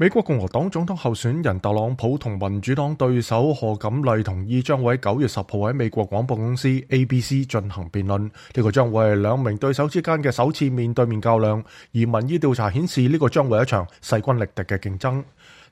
美國共和黨總統候選人特朗普同民主黨對手賀錦麗同意將會喺9月10號喺美國廣播公司 ABC 進行辯論。呢個將會係兩名對手之間嘅首次面對面較量，而民意調查顯示呢個將會係一場勢均力敵嘅競爭。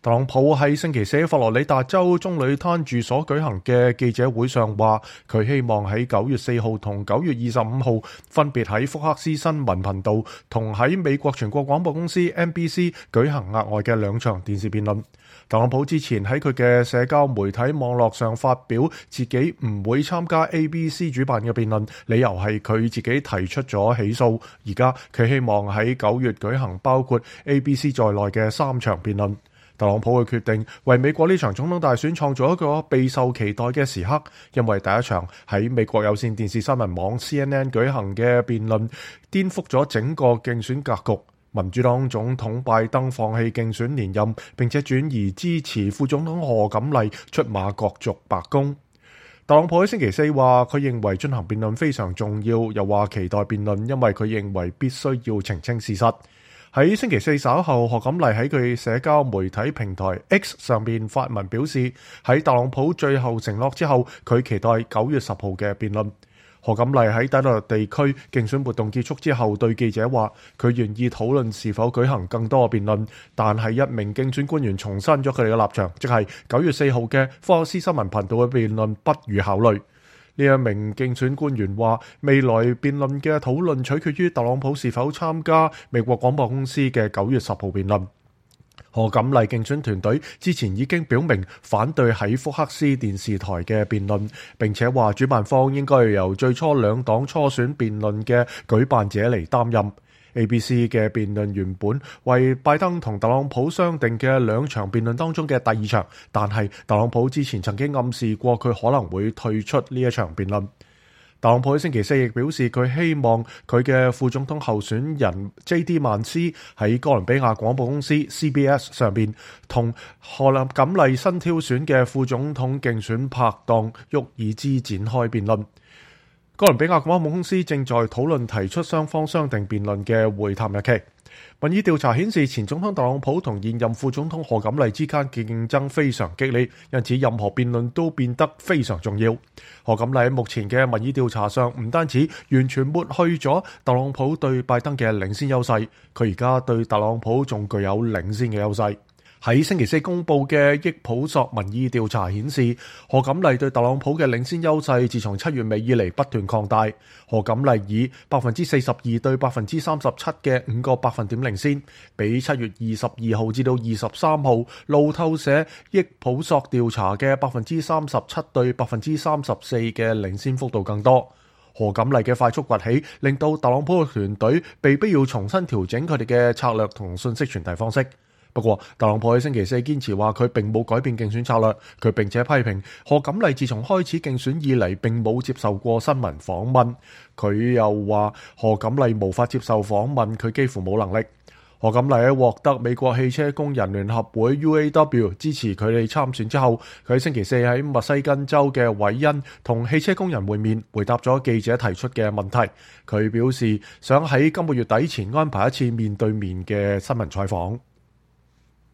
特朗普喺星期四喺佛羅里達州棕櫚灘住所舉行嘅記者會上話，佢希望喺9月4號同9月25號分別喺福克斯新聞頻道同喺美國全國廣播公司 NBC 舉行額外嘅兩場電視辯論。特朗普之前喺佢嘅社交媒體網絡上發表自己唔會參加 ABC 主辦嘅辯論，理由係佢自己提出咗起訴。而家佢希望喺9月舉行包括 ABC 在內嘅3場辯論。特朗普嘅決定為美國呢場總統大選創造一個備受期待嘅時刻，因為第一場喺美國有線電視新聞網 CNN 舉行嘅辯論顛覆咗整個競選格局。民主黨總統拜登放棄競選連任，並且轉移支持副總統賀錦麗出馬角逐白宮。特朗普喺星期四話，佢認為進行辯論非常重要，又話期待辯論，因為佢認為必須要澄清事實。喺星期四稍後，賀錦麗喺佢社交媒體平台 X 上面發文表示，喺特朗普最後承諾之後，佢期待9月10號嘅辯論。賀錦麗喺底特律地區競選活動結束之後對記者話，佢願意討論是否舉行更多嘅辯論，但係一名競選官員重申咗佢哋嘅立場，即係9月4號嘅福克斯新聞頻道嘅辯論不予考慮。呢一名競選官員話，未來辯論嘅討論取決於特朗普是否參加美國廣播公司嘅9月10號辯論。賀錦麗競選團隊之前已經表明反對喺福克斯電視台嘅辯論，並且話主辦方應該由最初兩黨初選辯論嘅舉辦者嚟擔任。ABC 嘅辯論原本為拜登同特朗普商定嘅兩場辯論當中嘅第二場，但係特朗普之前曾經暗示過佢可能會退出呢一場辯論。特朗普喺星期四亦表示，佢希望佢嘅副總統候選人 J.D. 曼斯喺哥倫比亞廣播公司 CBS 上邊同賀錦麗新挑選嘅副總統競選拍檔沃爾茲展開辯論。哥倫比亞廣播公司正在討論提出雙方商定辯論嘅會談日期。民意調查顯示，前總統特朗普同現任副總統賀錦麗之間嘅競爭非常激烈，因此任何辯論都變得非常重要。賀錦麗喺目前嘅民意調查上唔單止完全抹去咗特朗普對拜登嘅領先優勢，佢而家對特朗普仲具有領先嘅優勢。喺星期四公佈嘅益普索民意調查顯示，賀錦麗對特朗普嘅領先優勢自從7月尾以嚟不斷擴大。賀錦麗以42%對37%嘅5個百分點領先，比7月22號至到23號路透社益普索調查嘅37%對34%嘅領先幅度更多。賀錦麗嘅快速崛起，令到特朗普嘅團隊被逼要重新調整佢哋嘅策略同信息傳遞方式。不過，特朗普喺星期四堅持話佢並冇改變競選策略，佢並且批評賀錦麗自從開始競選以嚟並冇接受過新聞訪問。佢又話賀錦麗無法接受訪問，佢幾乎冇能力。賀錦麗喺獲得美國汽車工人聯合會 UAW 支持佢哋參選之後，佢喺星期四喺密西根州嘅韋恩同汽車工人會面，回答咗記者提出嘅問題。佢表示想喺今個月底前安排一次面對面嘅新聞採訪。